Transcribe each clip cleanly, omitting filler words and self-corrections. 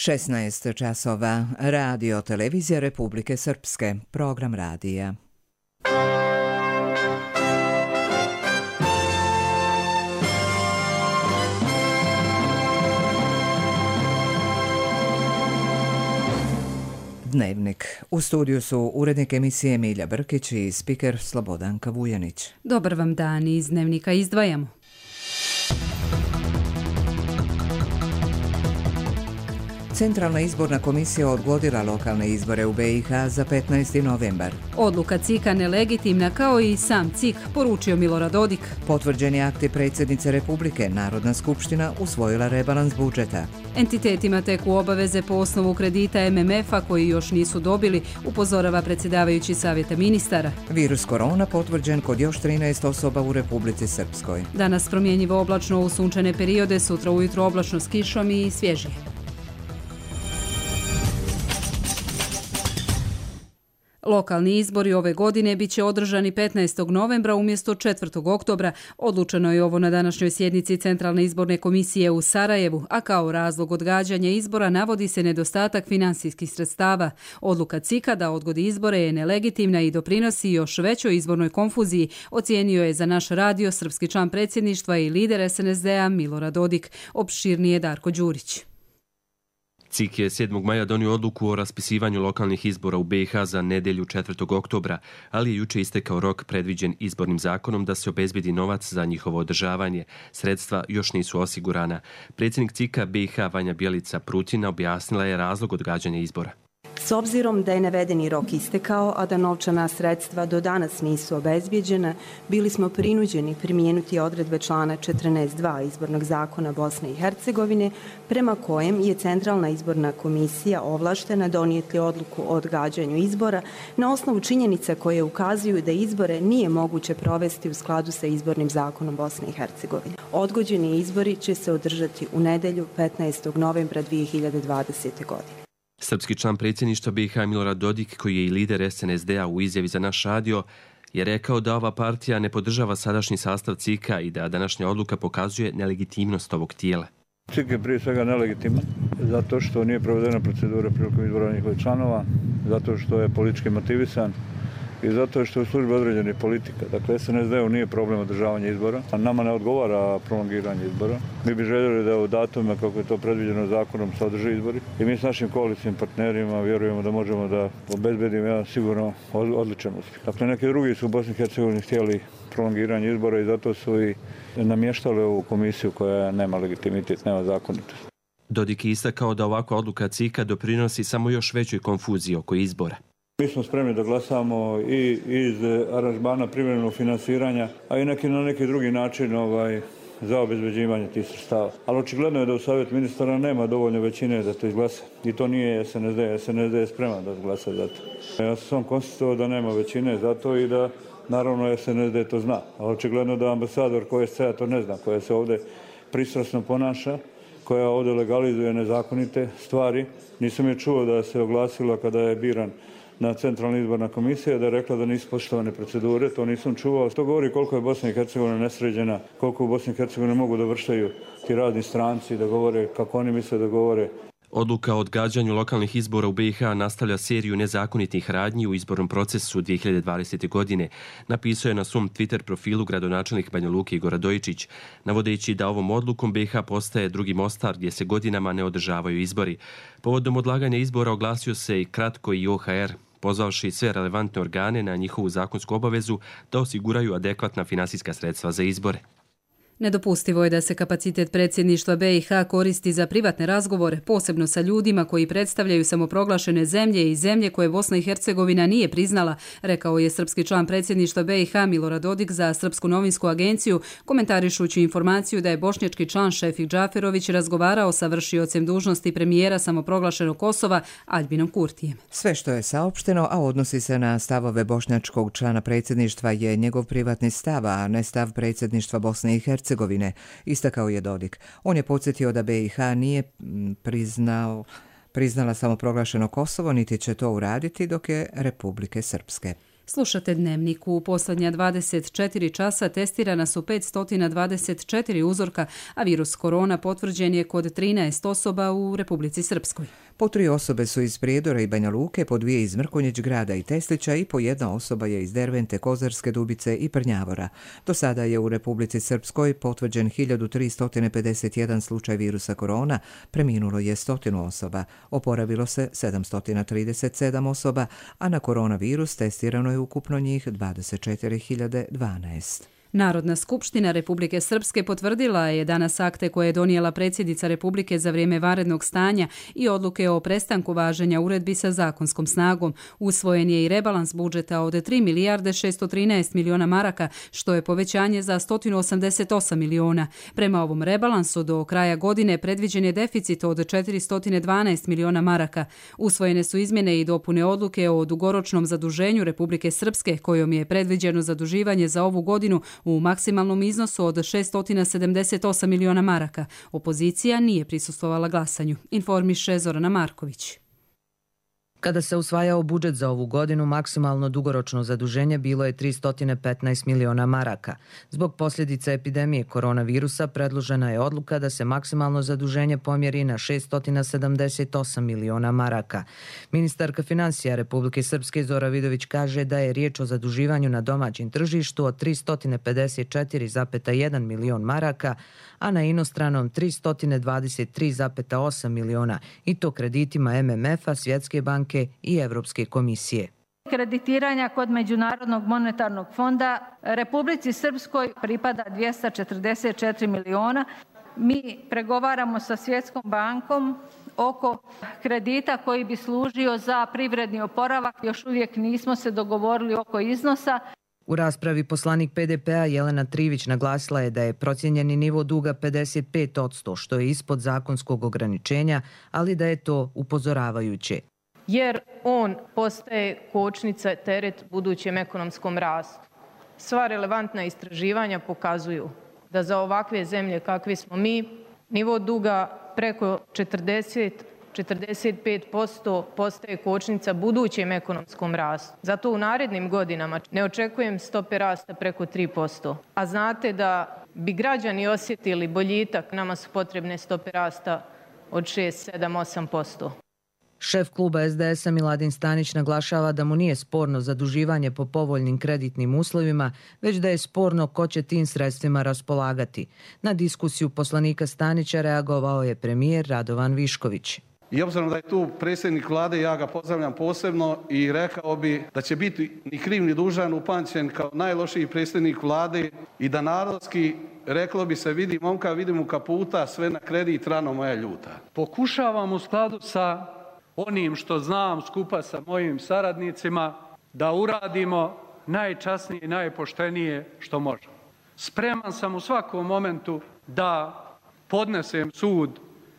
16 časova. Radio televizija Republike Srpske. Program radija. Dnevnik. U studiju su urednik emisije Milja Brkić i spiker Slobodanka Vujanić. Dobar vam dan, iz Dnevnika izdvajamo. Centralna izborna komisija odgodila lokalne izbore u BiH za 15. novembar. Odluka CIK-a nelegitimna, kao i sam CIK, poručio Milorad Dodik. Potvrđeni akti predsjednice Republike, Narodna skupština usvojila rebalans budžeta. Entitetima teku obaveze po osnovu kredita MMF-a koji još nisu dobili, upozorava predsjedavajući Savjeta ministara. Virus korona potvrđen kod još 13 osoba u Republici Srpskoj. Danas promjenjivo oblačno u sunčane periode, sutra ujutro oblačno s kišom i svježije. Lokalni izbori ove godine bit će održani 15. novembra umjesto 4. oktobra. Odlučeno je ovo na današnjoj sjednici Centralne izborne komisije u Sarajevu, a kao razlog odgađanja izbora navodi se nedostatak financijskih sredstava. Odluka CIK-a da odgodi izbore je nelegitimna i doprinosi još većoj izbornoj konfuziji, ocijenio je za naš radio srpski član predsjedništva i lider SNSD-a Milorad Dodik. Opširnije Darko Đurić. CIK je 7. maja donio odluku o raspisivanju lokalnih izbora u BiH za nedjelju 4. oktobra, ali je juče istekao rok predviđen izbornim zakonom da se obezbedi novac za njihovo održavanje. Sredstva još nisu osigurana. Predsjednik CIK-a BiH Vanja Bjelica Prutina objasnila je razlog odgađanja izbora. S obzirom da je navedeni rok istekao, a da novčana sredstva do danas nisu obezbijeđena, bili smo prinuđeni primijeniti odredbe člana 14.2 izbornog zakona Bosne i Hercegovine, prema kojem je Centralna izborna komisija ovlaštena donijeti odluku o odgađanju izbora na osnovu činjenica koje ukazuju da izbore nije moguće provesti u skladu sa izbornim zakonom Bosne i Hercegovine. Odgođeni izbori će se održati u nedjelju 15. novembra 2020. godine. Srpski član predsjedništva BiH Milorad Dodik, koji je i lider SNSD-a u izjavi za naš radio, je rekao da ova partija ne podržava sadašnji sastav CIK-a i da današnja odluka pokazuje nelegitimnost ovog tijela. CIK je prije svega nelegitiman zato što nije provedena procedura prilikom izbora njihovih članova, zato što je politički motivisan i zato što je u službi određenih politika. Dakle, SNSD-u nije problem održavanja izbora, a nama ne odgovara prolongiranje izbora. Mi bi željeli da u datumima, kako je to predviđeno zakonom, se održe izbori. I mi s našim koalicijnim partnerima vjerujemo da možemo da obezbedimo jedan sigurno odličan uspjeh. Dakle, neki drugi su u Bosni i Hercegovini htjeli prolongiranje izbora i zato su i namještali ovu komisiju koja nema legitimitet, nema zakonitost. Dodik je istakao da ovakva odluka CIK-a doprinosi samo još većoj konfuziji oko izbora. Mi smo spremni da glasamo i iz aranžmana privremenog finansiranja, a i na neki drugi način za obezbeđivanje tih sredstava. Ali očigledno je da u Savjet ministara nema dovoljno većine da to izglasa. I to nije SNSD. SNSD je spreman da izglasa za to. Ja sam sam konstatovao da nema većine za to i da naravno SNSD to zna. Ali očigledno da ambasador KSC-a to ne zna, koja se ovdje pristrasno ponaša, koja ovdje legalizuje nezakonite stvari. Nisam je čuo da se oglasila kada je biran na Centralna izborna komisija, da je rekla da nisu poštovane procedure, to nisam čuo. To govori koliko je Bosna i Hercegovina nesređena, koliko u Bosni i Hercegovini mogu da vrštaju ti razni stranci, da govore kako oni misle da govore. Odluka o odgađanju lokalnih izbora u BiH nastavlja seriju nezakonitih radnji u izbornom procesu 2020. godine, napisao je na svom Twitter profilu gradonačelnik Banja Luke Igor Radojičić, navodeći da ovom odlukom BiH postaje drugi Mostar gdje se godinama ne održavaju izbori. Povodom odlaganja izbora oglasio se i kratko i OHR, pozvavši sve relevantne organe na njihovu zakonsku obavezu da osiguraju adekvatna finansijska sredstva za izbore. Nedopustivo je da se kapacitet predsjedništva BiH koristi za privatne razgovore, posebno sa ljudima koji predstavljaju samoproglašene zemlje i zemlje koje Bosna i Hercegovina nije priznala, rekao je srpski član predsjedništva BiH Milorad Dodik za Srpsku novinsku agenciju, komentarišući informaciju da je bošnjački član Šefik Džaferović razgovarao sa vršiocem dužnosti premijera samoproglašenog Kosova Aljbinom Kurtijem. Sve što je saopšteno, a odnosi se na stavove bošnjačkog člana predsjedništva, je njegov privatni stav, a ne stav predsjedništva Bosne i Hercegovine, istakao je Dodik. On je podsjetio da BiH nije priznala samoproglašeno Kosovo, niti će to uraditi dok je Republike Srpske. Slušate Dnevnik. U posljednja 24 časa testirana su 524 uzorka, a virus korona potvrđen je kod 13 osoba u Republici Srpskoj. Po 3 osobe su iz Prijedora i Banja Luke, po 2 iz Mrkonjić grada i Teslića i po 1 osoba je iz Dervente, Kozarske Dubice i Prnjavora. Do sada je u Republici Srpskoj potvrđen 1351 slučaj virusa korona, preminulo je 100 osoba, oporavilo se 737 osoba, a na koronavirus testirano je ukupno njih 24.012. Narodna skupština Republike Srpske potvrdila je danas akte koje je donijela predsjednica Republike za vrijeme vanrednog stanja i odluke o prestanku važenja uredbi sa zakonskom snagom. Usvojen je i rebalans budžeta od 3 milijarde 613 miliona maraka, što je povećanje za 188 miliona. Prema ovom rebalansu do kraja godine predviđen je deficit od 412 miliona maraka. Usvojene su izmjene i dopune odluke o dugoročnom zaduženju Republike Srpske, kojom je predviđeno zaduživanje za ovu godinu u maksimalnom iznosu od 678 miliona maraka. Opozicija nije prisustvovala glasanju, informiše Zorana Marković. Kada se usvajao budžet za ovu godinu, maksimalno dugoročno zaduženje bilo je 315 miliona maraka. Zbog posljedica epidemije koronavirusa predložena je odluka da se maksimalno zaduženje pomjeri na 678 miliona maraka. Ministarka financija Republike Srpske Zora Vidović kaže da je riječ o zaduživanju na domaćem tržištu od 354,1 milion maraka, a na inostranom 323,8 miliona, i to kreditima MMF-a, Svjetske banke i Evropske komisije. Kreditiranja kod Međunarodnog monetarnog fonda Republici Srpskoj pripada 244 miliona. Mi pregovaramo sa Svjetskom bankom oko kredita koji bi služio za privredni oporavak. Još uvijek nismo se dogovorili oko iznosa. U raspravi poslanik PDP-a Jelena Trivić naglasila je da je procijenjeni nivo duga 55%, što je ispod zakonskog ograničenja, ali da je to upozoravajuće. Jer on postaje kočnica, teret budućem ekonomskom rastu. Sva relevantna istraživanja pokazuju da za ovakve zemlje kakvi smo mi, nivo duga preko 40-45% postaje kočnica budućem ekonomskom rastu. Zato u narednim godinama ne očekujem stope rasta preko 3%. A znate da bi građani osjetili boljitak, nama su potrebne stope rasta od 6, 7, 8%. Šef kluba SDS-a Miladin Stanić naglašava da mu nije sporno zaduživanje po povoljnim kreditnim uslovima, već da je sporno ko će tim sredstvima raspolagati. Na diskusiju poslanika Stanića reagovao je premijer Radovan Višković. I obzirom da je tu predsjednik vlade, ja ga pozdravljam posebno i rekao bi da će biti ni kriv ni dužan upamćen kao najlošiji predsjednik vlade i da narodski, reklo bi se, vidi momka, vidi mu kaputa, sve na kredit, rano moja ljuta. Pokušavam u skladu sa onim što znam skupa sa mojim saradnicima da uradimo najčasnije i najpoštenije što možemo. Spreman sam u svakom momentu da podnesem sud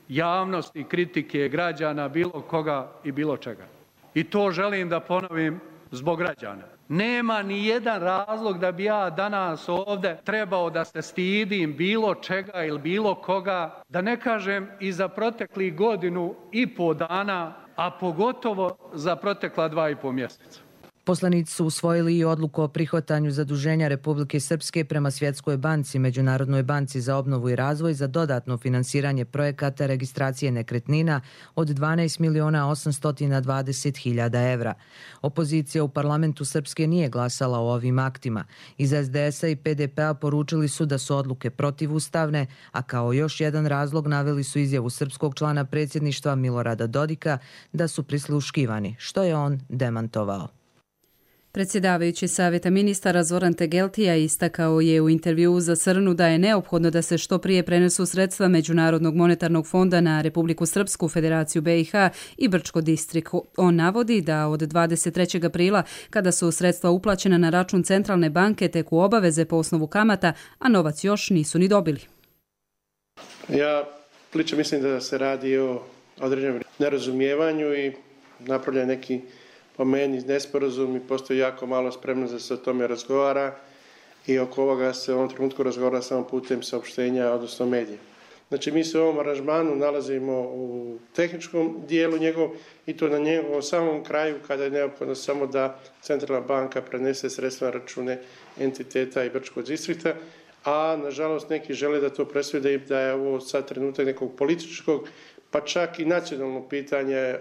javnosti, kritike građana, bilo koga i bilo čega. I to želim da ponovim zbog građana. Nema ni jedan razlog da bi ja danas ovdje trebao da se stidim bilo čega ili bilo koga, da ne kažem i za proteklih 1,5 dana, a pogotovo za protekla 2,5 mjeseca. Poslanici su usvojili i odluku o prihvatanju zaduženja Republike Srpske prema Svjetskoj banci, Međunarodnoj banci za obnovu i razvoj za dodatno finansiranje projekata registracije nekretnina od 12.820.000 evra. Opozicija u parlamentu Srpske nije glasala o ovim aktima. Iz SDS-a i PDP-a poručili su da su odluke protivustavne, a kao još jedan razlog naveli su izjavu srpskog člana predsjedništva Milorada Dodika da su prisluškivani, što je on demantovao. Predsjedavajući Savjeta ministara Zoran Tegeltija istakao je u intervjuu za Srnu da je neophodno da se što prije prenesu sredstva Međunarodnog monetarnog fonda na Republiku Srpsku, Federaciju BiH i Brčko Distrik. On navodi da od 23. aprila, kada su sredstva uplaćena na račun Centralne banke, teku obaveze po osnovu kamata, a novac još nisu ni dobili. Ja lično mislim da se radi o određenom nerazumijevanju i napravlja neki po meni nesporazum i postoji jako malo spremno da se o tome razgovara i oko ovoga se u ovom trenutku razgovara samo putem saopštenja, odnosno medija. Znači mi se u ovom aranžmanu nalazimo u tehničkom dijelu njegovom i to na njegovom samom kraju kada je neophodno samo da centralna banka prenese sredstva na račune entiteta i Brčkog distrikta, a nažalost neki žele da to presvede da je ovo sad trenutak nekog političkog, pa čak i nacionalno pitanje.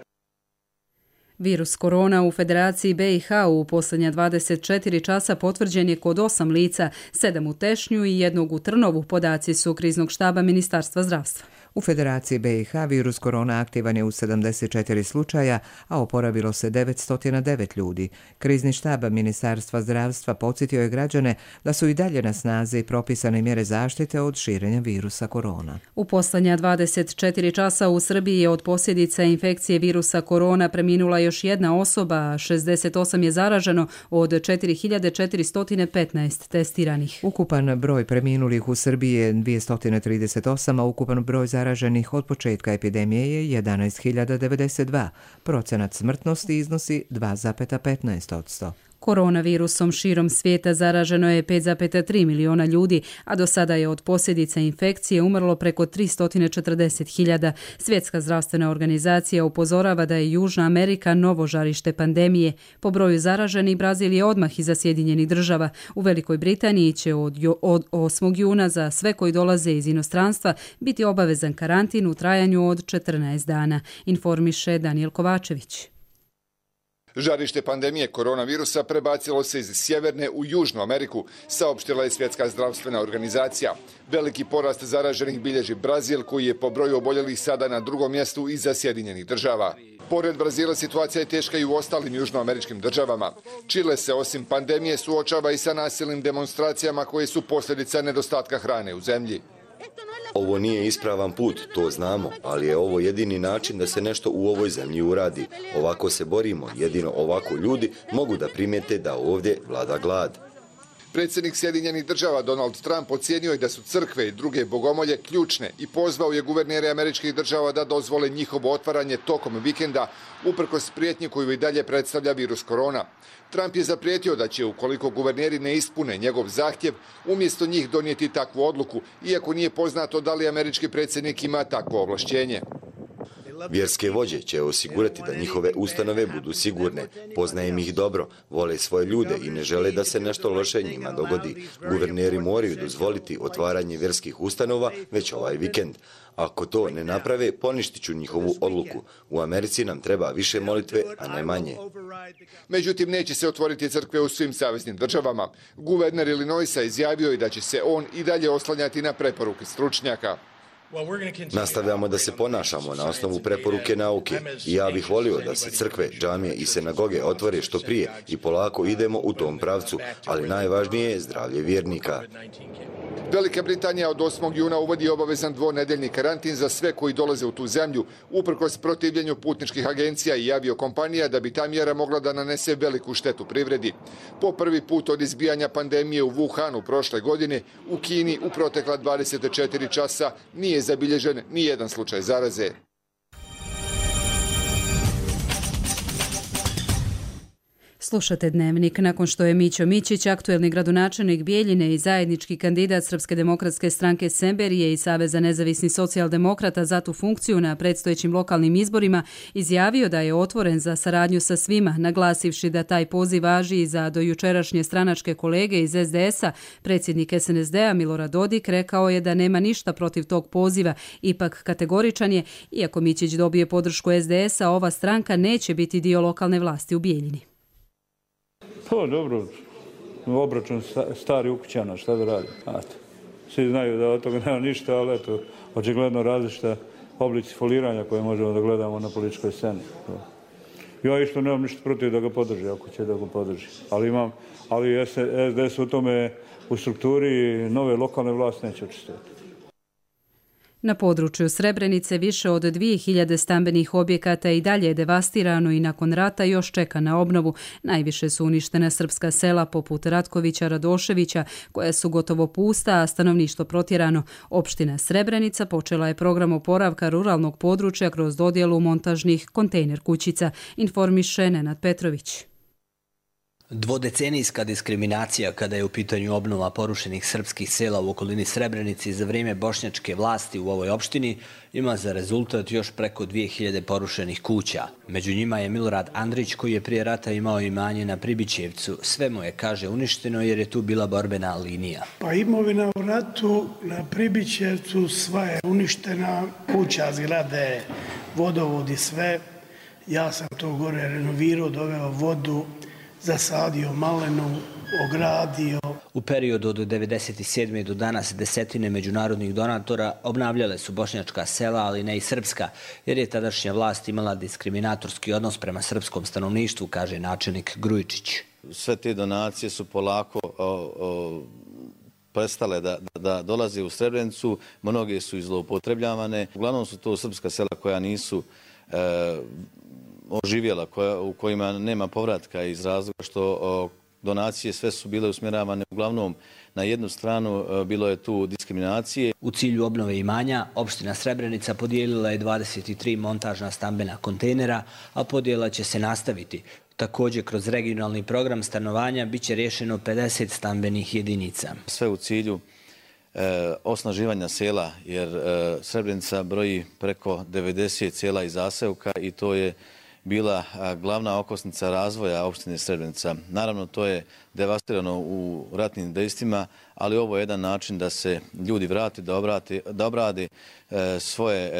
Virus korona u Federaciji BiH u posljednja 24 časa potvrđen je kod 8 lica, 7 u Tešnju i 1 u Trnovu, podaci su kriznog štaba Ministarstva zdravstva. U Federaciji BiH virus korona aktivan je u 74 slučaja, a oporavilo se 909 ljudi. Krizni štab Ministarstva zdravstva podsjetio je građane da su i dalje na snazi propisane mjere zaštite od širenja virusa korona. U posljednja 24 časa u Srbiji je od posljedica infekcije virusa korona preminula još jedna osoba, 68 je zaraženo od 4415 testiranih. Ukupan broj preminulih u Srbiji je 238, a ukupan broj zaraženih od početka epidemije je 11.092. Procenat smrtnosti iznosi 2,15%. Koronavirusom širom svijeta zaraženo je 5,3 miliona ljudi, a do sada je od posljedica infekcije umrlo preko 340.000. Svjetska zdravstvena organizacija upozorava da je Južna Amerika novo žarište pandemije. Po broju zaraženih Brazil je odmah iza Sjedinjenih država. U Velikoj Britaniji će od 8. juna za sve koji dolaze iz inostranstva biti obavezan karantin u trajanju od 14 dana, informiše Daniel Kovačević. Žarište pandemije koronavirusa prebacilo se iz Sjeverne u Južnu Ameriku, saopštila je Svjetska zdravstvena organizacija. Veliki porast zaraženih bilježi Brazil, koji je po broju oboljelih sada na drugom mjestu iza Sjedinjenih država. Pored Brazila situacija je teška i u ostalim južnoameričkim državama. Čile se osim pandemije suočava i sa nasilnim demonstracijama koje su posljedica nedostatka hrane u zemlji. Ovo nije ispravan put, to znamo, ali je ovo jedini način da se nešto u ovoj zemlji uradi. Ovako se borimo, jedino ovako ljudi mogu da primijete da ovdje vlada glad. Predsjednik Sjedinjenih država Donald Trump ocijenio je da su crkve i druge bogomolje ključne i pozvao je guvernere američkih država da dozvole njihovo otvaranje tokom vikenda, uprkos prijetnji koju i dalje predstavlja virus korona. Trump je zaprijetio da će, ukoliko guverneri ne ispune njegov zahtjev, umjesto njih donijeti takvu odluku, iako nije poznato da li američki predsjednik ima takvo ovlašćenje. Vjerske vođe će osigurati da njihove ustanove budu sigurne. Poznajem ih dobro, vole svoje ljude i ne žele da se nešto loše njima dogodi. Guverneri moraju dozvoliti otvaranje vjerskih ustanova već ovaj vikend. Ako to ne naprave, poništit ću njihovu odluku. U Americi nam treba više molitve, a ne manje. Međutim, neće se otvoriti crkve u svim saveznim državama. Guverner Illinoisa izjavio je da će se on i dalje oslanjati na preporuke stručnjaka. Nastavljamo da se ponašamo na osnovu preporuke nauke i ja bih volio da se crkve, džamije i sinagoge otvore što prije i polako idemo u tom pravcu, ali najvažnije je zdravlje vjernika. Velika Britanija od 8. juna uvodi obavezan dvonedeljni karantin za sve koji dolaze u tu zemlju, uprkos protivljenju putničkih agencija i aviokompanija, da bi ta mjera mogla da nanese veliku štetu privredi. Po prvi put od izbijanja pandemije u Wuhanu prošle godine, u Kini u protekla 24 časa nije zabilježen ni jedan slučaj zaraze. Slušate Dnevnik. Nakon što je Mićo Mićić, aktuelni gradonačelnik Bijeljine i zajednički kandidat Srpske demokratske stranke Semberije i Saveza nezavisnih socijaldemokrata za tu funkciju na predstojećim lokalnim izborima, izjavio da je otvoren za saradnju sa svima, naglasivši da taj poziv važi i za dojučerašnje stranačke kolege iz SDS-a. Predsjednik SNSD-a Milorad Dodik rekao je da nema ništa protiv tog poziva, ipak kategoričan je, iako Mićić dobije podršku SDS-a, ova stranka neće biti dio lokalne vlasti u Bijeljini. Pa dobro, obračun stari ukućana, šta da radi? Svi znaju da od toga nema ništa, ali eto, očigledno različita oblici foliranja koje možemo da gledamo na političkoj sceni. Ja isto nemam ništa protiv da ga podrži, ako će da ga podrži. Ali SDS u tome, u strukturi nove lokalne vlasti neće učestvovati. Na području Srebrenice više od 2000 stambenih objekata i dalje je devastirano i nakon rata još čeka na obnovu. Najviše su uništena srpska sela poput Ratkovića, Radoševića, koja su gotovo pusta, a stanovništvo protjerano. Opština Srebrenica počela je program oporavka ruralnog područja kroz dodjelu montažnih kontejner kućica, informiše Nenad Petrović. Dvodecenijska diskriminacija kada je u pitanju obnova porušenih srpskih sela u okolini Srebrenici za vrijeme bošnjačke vlasti u ovoj opštini ima za rezultat još preko 2000 porušenih kuća. Među njima je Milorad Andrić koji je prije rata imao imanje na Pribićevcu. Sve mu je, kaže, uništeno jer je tu bila borbena linija. Pa imovina u ratu na Pribićevcu sva je uništena, kuća, zgrade, vodovodi, sve. Ja sam to gore renovirao, doveo vodu, zasadio malenu, ogradio. U periodu od 1997. do danas desetine međunarodnih donatora obnavljale su bošnjačka sela, ali ne i srpska, jer je tadašnja vlast imala diskriminatorski odnos prema srpskom stanovništvu, kaže načelnik Grujičić. Sve te donacije su polako prestale da dolaze u Srebrenicu, mnoge su zloupotrebljavane. Uglavnom su to srpska sela koja nisu oživjela, u kojima nema povratka iz razloga što donacije sve su bile usmjeravane uglavnom na jednu stranu, bilo je tu diskriminacije. U cilju obnove imanja, opština Srebrenica podijelila je 23 montažna stambena kontejnera, a podjela će se nastaviti. Također, kroz regionalni program stanovanja biće rješeno 50 stambenih jedinica. Sve u cilju osnaživanja sela, jer Srebrenica broji preko 90 sela i zaseoka i to je bila glavna okosnica razvoja opštine Srebrenica. Naravno, to je devastirano u ratnim dejstvima, ali ovo je jedan način da se ljudi vrate, da obrade svoje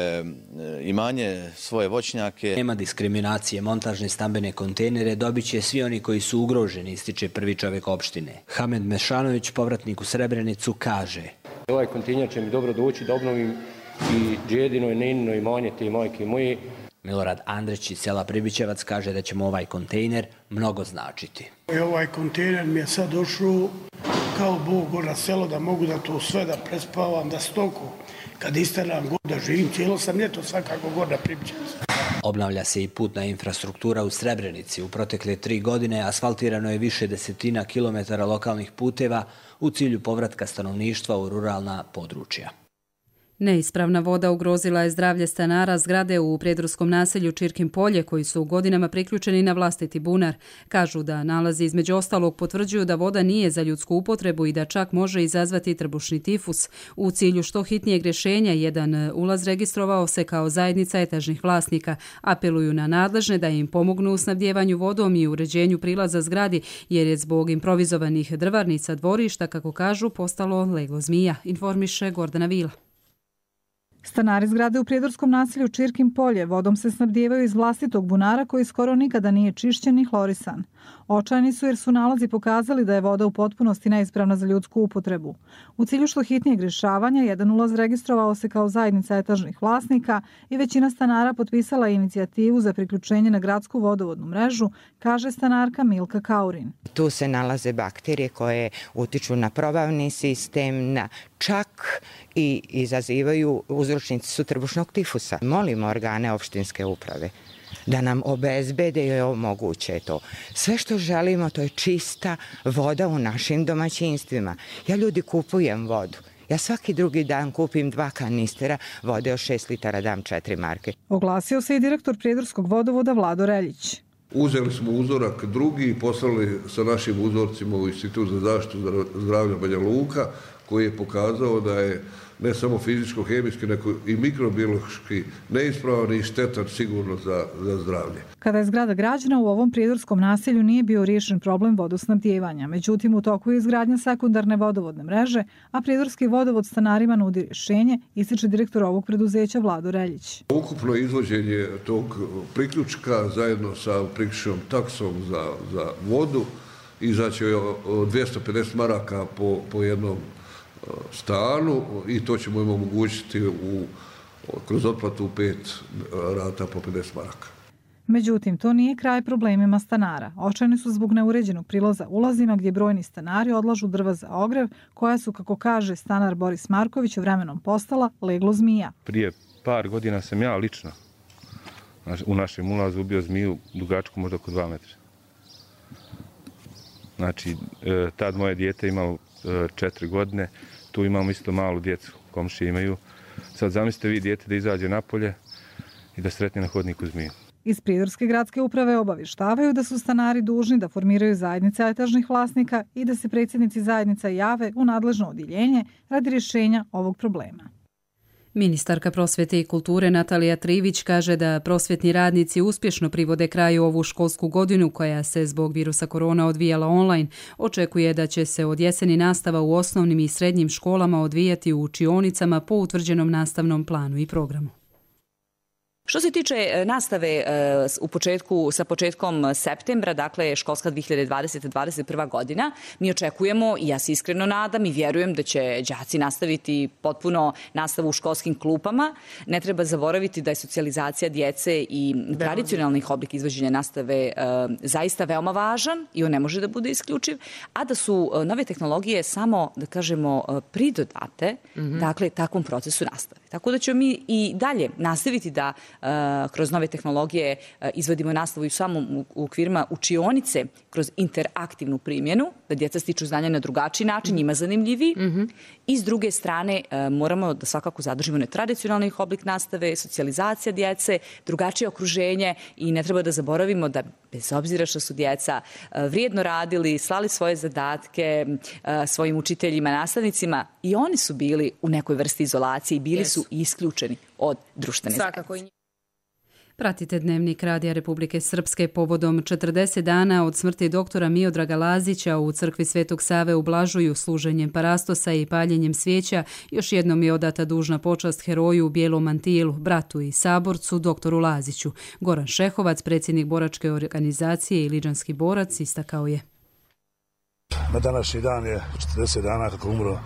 imanje, svoje voćnjake. Nema diskriminacije, montažne stambene kontejnere dobit će svi oni koji su ugroženi, ističe prvi čovjek opštine. Hamed Mešanović, povratnik u Srebrenicu, kaže: Ovaj kontejner će mi dobro doći da obnovim i džedino i nenino imanje te majke moje. Milorad Andrić iz sela Pribićevac kaže da će mu ovaj kontejner mnogo značiti. Ovaj kontejner mi je sad došao kao Bog na selo, da mogu da to sve da prespavam, da stoku. Kad isteram god da živim, cijelo sam ljeto svakako god na Pribićevac. Obnavlja se i putna infrastruktura u Srebrenici. U protekle 3 godine asfaltirano je više desetina kilometara lokalnih puteva u cilju povratka stanovništva u ruralna područja. Neispravna voda ugrozila je zdravlje stanara zgrade u prijedorskom naselju Čirkin polje, koji su godinama priključeni na vlastiti bunar. Kažu da nalazi između ostalog potvrđuju da voda nije za ljudsku upotrebu i da čak može izazvati trbušni tifus. U cilju što hitnijeg rješenja jedan ulaz registrovao se kao zajednica etažnih vlasnika. Apeluju na nadležne da im pomognu u snabdjevanju vodom i uređenju prilaza zgradi, jer je zbog improvizovanih drvarnica dvorišta, kako kažu, postalo leglo zmija, informiše Gordana Vila. Stanari zgrade u prijedorskom naselju Čirkin polje vodom se snabdijevaju iz vlastitog bunara koji skoro nikada nije čišćen ni hlorisan. Očajni su jer su nalazi pokazali da je voda u potpunosti neispravna za ljudsku upotrebu. U cilju što hitnijeg rješavanja, jedan ulaz registrovao se kao zajednica etažnih vlasnika i većina stanara potpisala inicijativu za priključenje na gradsku vodovodnu mrežu, kaže stanarka Milka Kaurin. Tu se nalaze bakterije koje utiču na probavni sistem, na čak i izazivaju, uzročnici su trbušnog tifusa. Molimo organe opštinske uprave da nam obezbede i omoguće to. Sve što želimo, to je čista voda u našim domaćinstvima. Ja ljudi kupujem vodu. Ja svaki drugi dan kupim 2 kanistera vode od 6 litara, dam 4 marke. Oglasio se i direktor prijedorskog vodovoda Vlado Reljić. Uzeli smo uzorak drugi i poslali sa našim uzorcima u Institut za zaštitu zdravlja Banja Luka, koji je pokazao da je ne samo fizičko-hemijski, nego i mikrobiološki neispravan i štetan sigurno za zdravlje. Kada je zgrada građena, u ovom prijedorskom naselju nije bio riješen problem vodosnabdijevanja. Međutim, u toku je izgradnja sekundarne vodovodne mreže, a prijedorski vodovod stanarima nudi rješenje, ističe direktor ovog preduzeća Vlado Reljić. Ukupno izvođenje tog priključka zajedno sa priključnom taksom za vodu izaći 250 maraka po jednom stanu i to ćemo im omogućiti kroz otplatu 5 rata po 50 maraka. Međutim, to nije kraj problemima stanara. Očajni su zbog neuređenog prilaza ulazima gdje brojni stanari odlažu drva za ogrev, koja su, kako kaže stanar Boris Marković, vremenom postala leglo zmija. Prije par godina sam ja lično u našem ulazu ubio zmiju dugačku možda oko 2 metra. Znači, tad moje dijete imalo 4 godine, tu imamo isto malu djecu, komšije imaju. Sad zamislite vi dijete da izađe napolje i da sretne na hodniku zmiju. Iz Prijedorske gradske uprave obavještavaju da su stanari dužni da formiraju zajednice etažnih vlasnika i da se predsjednici zajednica jave u nadležno odjeljenje radi rješenja ovog problema. Ministarka prosvjete i kulture Natalija Trivić kaže da prosvjetni radnici uspješno privode kraju ovu školsku godinu koja se zbog virusa korona odvijala online. Očekuje da će se od jeseni nastava u osnovnim i srednjim školama odvijati u učionicama po utvrđenom nastavnom planu i programu. Što se tiče nastave sa početkom septembra, dakle školska 2020-2021 godina, mi očekujemo i ja se iskreno nadam i vjerujem da će đaci nastaviti potpuno nastavu u školskim klupama. Ne treba zaboraviti da je socijalizacija djece i tradicionalnih oblika izvođenja nastave zaista veoma važan i on ne može da bude isključiv, a da su nove tehnologije samo, da kažemo, pridodate, dakle, takvom procesu nastave. Tako da ćemo mi i dalje nastaviti da kroz nove tehnologije izvodimo nastavu i u samom okvirima učionice kroz interaktivnu primjenu, da djeca stiču znanja na drugačiji način, njima zanimljiviji. I s druge strane moramo da svakako zadržimo netradicionalni oblik nastave, socijalizacija djece, drugačije okruženje i ne treba da zaboravimo da bez obzira što su djeca vrijedno radili, slali svoje zadatke svojim učiteljima, nastavnicima, i oni su bili u nekoj vrsti izolacije i bili su isključeni od društvene zajednice. Pratite Dnevnik Radija Republike Srpske povodom 40 dana od smrti doktora Miodraga Lazića u crkvi Svetog Save u Blažuju služenjem parastosa i paljenjem svijeća. Još jednom je odata dužna počast heroju u bijelom mantilu, bratu i saborcu doktoru Laziću. Goran Šehovac, predsjednik boračke organizacije i liđanski borac, istakao je. Na današnji dan je 40 dana kako umro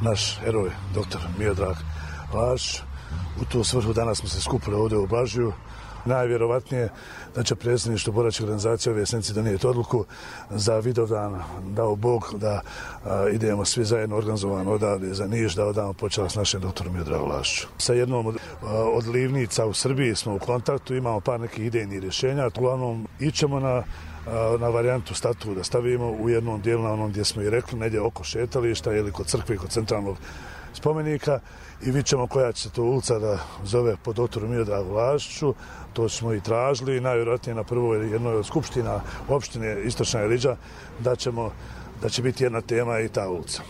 naš heroj, doktor Miodrag Lazić. U tu svrhu danas smo se skupili ovdje u Blažuju. Najvjerovatnije da će predsjedništvo boračke organizacije ove jesenice donijeti odluku za Vidovdan, dao Bog, da idemo svi zajedno organizovano odavde za Niš, da odamo počast našem doktoru Miodragu Laziću. Sa jednom od livnica u Srbiji smo u kontaktu, imamo par nekih idejnih rješenja. Uglavnom ićemo na varijantu statu da stavimo u jednom dijelu, na onom gdje smo i rekli, negdje oko šetališta ili kod crkve, kod centralnog spomenika, i vidjet ćemo koja će se to ulica da zove po doktoru Miodragu Laziću. To smo i tražili, najvjerojatnije na prvoj jednoj od skupština opštine Istočna Iliđa da će biti jedna tema i ta ulica.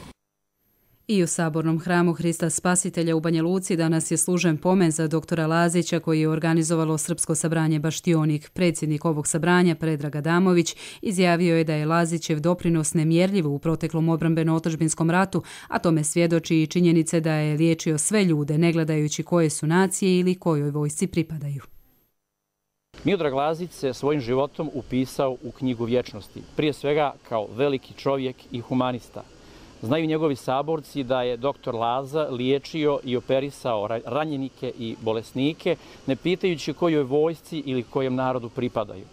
I u Sabornom hramu Hrista Spasitelja u Banja Luci danas je služen pomen za doktora Lazića koji je organizovalo Srpsko sabranje Baštionik. Predsjednik ovog sabranja, Predrag Adamović, izjavio je da je Lazićev doprinos nemjerljiv u proteklom obrambeno-otadžbinskom ratu, a tome svjedoči i činjenice da je liječio sve ljude, ne gledajući koje su nacije ili kojoj vojsci pripadaju. Miodrag Lazić se svojim životom upisao u knjigu vječnosti, prije svega kao veliki čovjek i humanista. Znaju njegovi saborci da je doktor Laza liječio i operisao ranjenike i bolesnike, ne pitajući kojoj vojsci ili kojem narodu pripadaju.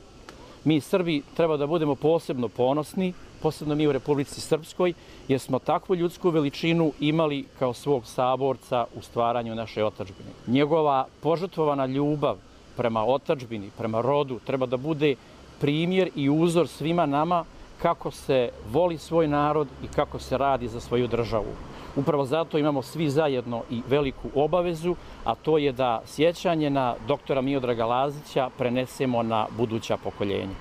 Mi Srbi treba da budemo posebno ponosni, posebno mi u Republici Srpskoj, jer smo takvu ljudsku veličinu imali kao svog saborca u stvaranju naše otadžbine. Njegova požrtvovana ljubav prema otadžbini, prema rodu, treba da bude primjer i uzor svima nama kako se voli svoj narod i kako se radi za svoju državu. Upravo zato imamo svi zajedno i veliku obavezu, a to je da sjećanje na doktora Miodraga Lazića prenesemo na buduća pokoljenja.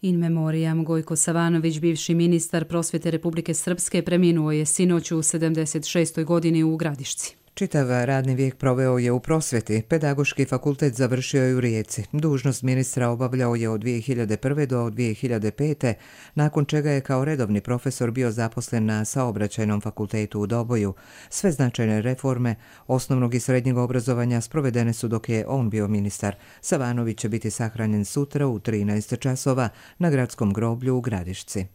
In memoriam Gojko Savanović, bivši ministar prosvjete Republike Srpske, preminuo je sinoć u 76. godini u Gradišci. Čitav radni vijek proveo je u prosvjeti. Pedagoški fakultet završio je u Rijeci. Dužnost ministra obavljao je od 2001. do 2005. nakon čega je kao redovni profesor bio zaposlen na Saobraćajnom fakultetu u Doboju. Sve značajne reforme osnovnog i srednjeg obrazovanja sprovedene su dok je on bio ministar. Savanović će biti sahranjen sutra u 13 časova na gradskom groblju u Gradišci.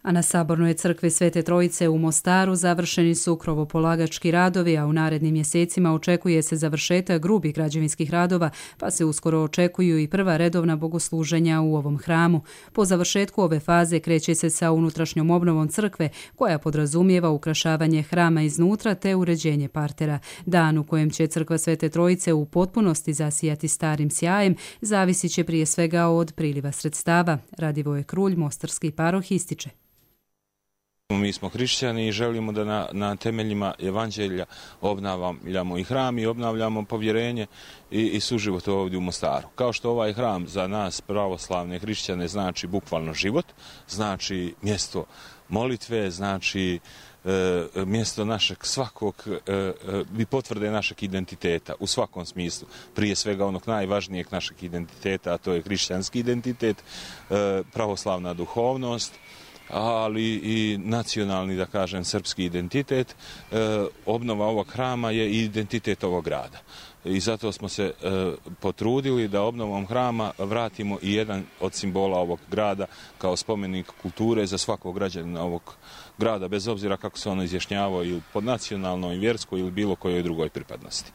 A na Sabornoj crkvi Svete Trojice u Mostaru završeni su krovopolagački radovi, a u narednim mjesecima očekuje se završetak grubih građevinskih radova, pa se uskoro očekuju i prva redovna bogosluženja u ovom hramu. Po završetku ove faze kreće se sa unutrašnjom obnovom crkve, koja podrazumijeva ukrašavanje hrama iznutra te uređenje partera. Dan u kojem će crkva Svete Trojice u potpunosti zasijati starim sjajem zavisit će prije svega od priliva sredstava. Radivoje Krulj, mostarski paroh, ističe. Mi smo hrišćani i želimo da na temeljima evanđelja obnavljamo i hram i obnavljamo povjerenje i suživot ovdje u Mostaru. Kao što ovaj hram za nas pravoslavne hrišćane znači bukvalno život, znači mjesto molitve, znači mjesto našeg svakog i potvrde našeg identiteta u svakom smislu. Prije svega onog najvažnijeg našeg identiteta, a to je hrišćanski identitet, pravoslavna duhovnost, ali i nacionalni, da kažem, srpski identitet. Obnova ovog hrama je i identitet ovog grada. I zato smo se potrudili da obnovom hrama vratimo i jedan od simbola ovog grada kao spomenik kulture za svakog građanina ovog grada, bez obzira kako se ono izjašnjavao ili pod nacionalnoj, vjerskoj ili bilo kojoj drugoj pripadnosti.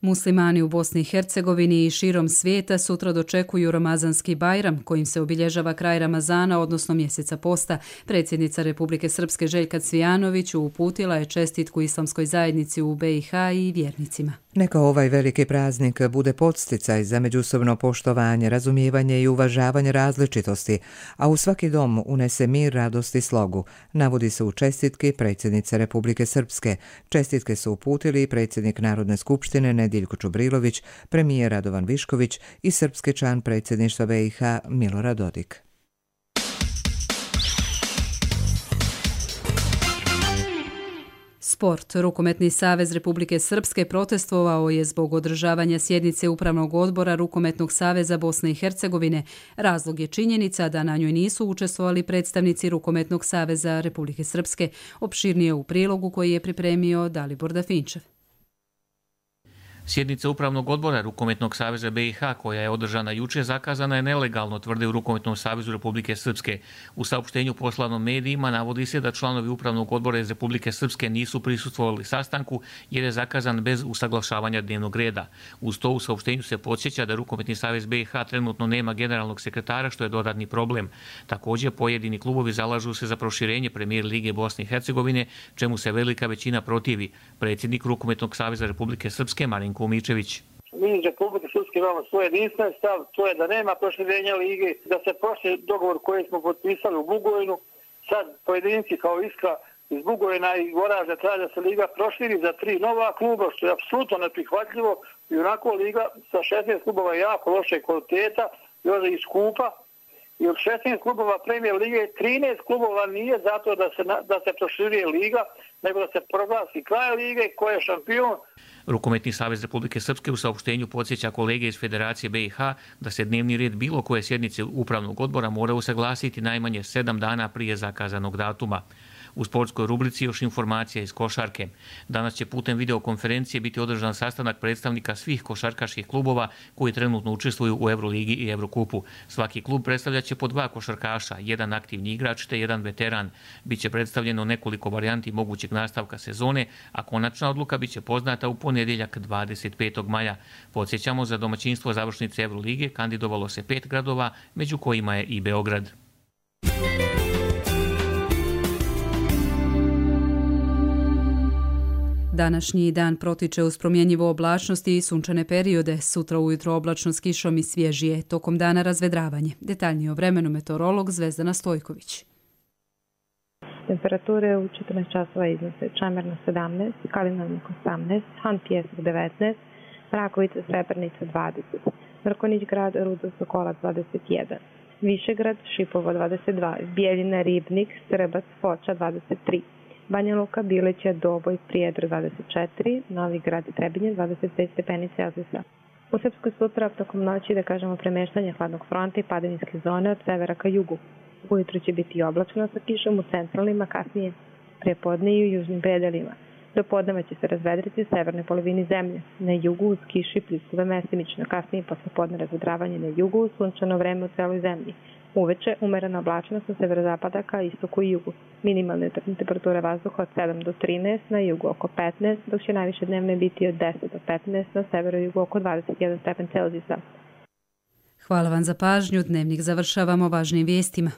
Muslimani u Bosni i Hercegovini i širom svijeta sutra dočekuju Ramazanski Bajram, kojim se obilježava kraj Ramazana, odnosno mjeseca posta. Predsjednica Republike Srpske Željka Cvijanović uputila je čestitku islamskoj zajednici u BiH i vjernicima. Neka ovaj veliki praznik bude podsticaj za međusobno poštovanje, razumijevanje i uvažavanje različitosti, a u svaki dom unese mir, radost i slogu, navodi se u čestitki predsjednice Republike Srpske. Čestitke su uputili i predsjednik Narodne skupštine Nediljko Čubrilović, premijer Radovan Višković i srpski član predsjedništva BiH Milorad Dodik. Sport. Rukometni savez Republike Srpske protestovao je zbog održavanja sjednice Upravnog odbora Rukometnog saveza Bosne i Hercegovine. Razlog je činjenica da na njoj nisu učestvovali predstavnici Rukometnog saveza Republike Srpske. Opširnije u prilogu koji je pripremio Dalibor Dafinčev. Sjednica Upravnog odbora Rukometnog saveza BiH, koja je održana juče, zakazana je nelegalno, tvrde u Rukometnom savezu Republike Srpske. U saopštenju poslanom medijima navodi se da članovi Upravnog odbora iz Republike Srpske nisu prisustvovali sastanku jer je zakazan bez usaglašavanja dnevnog reda. Uz to u saopštenju se podsjeća da Rukometni savez BiH trenutno nema generalnog sekretara, što je dodatni problem. Također, pojedini klubovi zalažu se za proširenje Premijer Lige Bosne i Hercegovine, čemu se velika većina protivi. Predsjednik Rukometnog saveza Republike Srpske Marinko Umičević. Mi iz Republike Srpske imamo svoj jedinstven stav, to je da nema proširenja lige, da se prošli dogovor koji smo potpisali u Bugojnu, sad pojedinci kao Iskra iz Bugojna i Goražde traže da se liga proširi za 3 nova kluba, što je apsolutno neprihvatljivo i onako liga sa 16 klubova je jako loše kvaliteta, još i skupa. I od 16 klubova Premier lige 13 klubova nije zato da se proširuje liga, nego da se proglasi kraj lige ko je šampion. Rukometni savez Republike Srpske u saopštenju podsjeća kolege iz Federacije BiH da se dnevni red bilo koje sjednice Upravnog odbora mora usaglasiti najmanje 7 dana prije zakazanog datuma. U sportskoj rubrici još informacija iz košarke. Danas će putem videokonferencije biti održan sastanak predstavnika svih košarkaških klubova koji trenutno učestvuju u Euroligi i Eurokupu. Svaki klub predstavljaće po 2 košarkaša, jedan aktivni igrač te jedan veteran. Biće predstavljeno nekoliko varijanti mogućeg nastavka sezone, a konačna odluka biće poznata u ponedjeljak 25. maja. Podsjećamo, za domaćinstvo završnice Eurolige kandidovalo se 5 gradova, među kojima je i Beograd. Današnji dan protiče uz promjenjivo oblačnosti i sunčane periode. Sutra ujutro oblačno s kišom i svježije. Tokom dana razvedravanje. Detaljnije o vremenu meteorolog Zvezdana Stojković. Temperature u 14 časova iznose Čamerna 17, Kalinarnik 18, Han Pjesak 19, Mrakovica Srebrnica 20, Mrkonić grad Rudo Sokolac 21, Višegrad Šipovo 22, Bijeljina Ribnik Srbac Foča 23, Banja Luka, Bileća, Doboj, Prijedor 24, Novi Grad i Trebinje 25 stepeni Celzijusa. U Srpskoj sutra tokom noći premeštanje hladnog fronta i padavinske zone od severa ka jugu. Ujutro će biti oblačno sa kišom u centralnim, a kasnije prepodne i u južnim predelima. Do podneva će se razvedriti u severnoj polovini zemlje. Na jugu uz kiši pljuskuve mestimično, kasnije posle podne razvedravanje na jugu uz sunčano vreme u celoj zemlji. Uveče umerena oblačnost sa severozapada ka istoku i jugu. Minimalne temperature vazduha od 7 do 13, na jugu oko 15, dok će najviše dnevne biti od 10 do 15, na severu i jugu oko 21 stepen Celzijusa. Hvala vam za pažnju. Dnevnik završavamo važnim vijestima.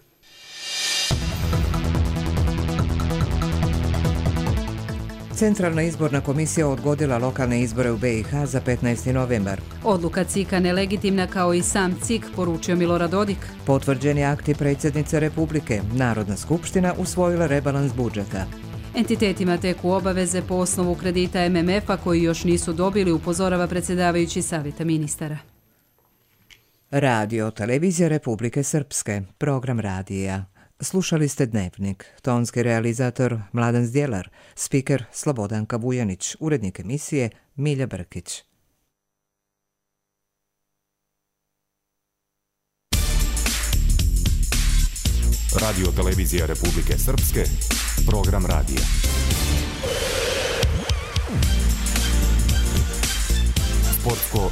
Centralna izborna komisija odgodila lokalne izbore u BiH za 15. novembar. Odluka CIK-a nelegitimna kao i sam CIK, poručio Milorad Dodik. Potvrđeni akti predsjednice Republike. Narodna skupština usvojila rebalans budžeta. Entitetima teku obaveze po osnovu kredita MMF-a koji još nisu dobili, upozorava predsjedavajući Savjeta ministara. Radio Televizija Republike Srpske, program radija. Slušali ste Dnevnik, tonski realizator Mladen Zdjelar, spiker Slobodanka Vujanić, urednik emisije Milja Brkić. Radio Televizija Republike Srpske, program radija. Sportsko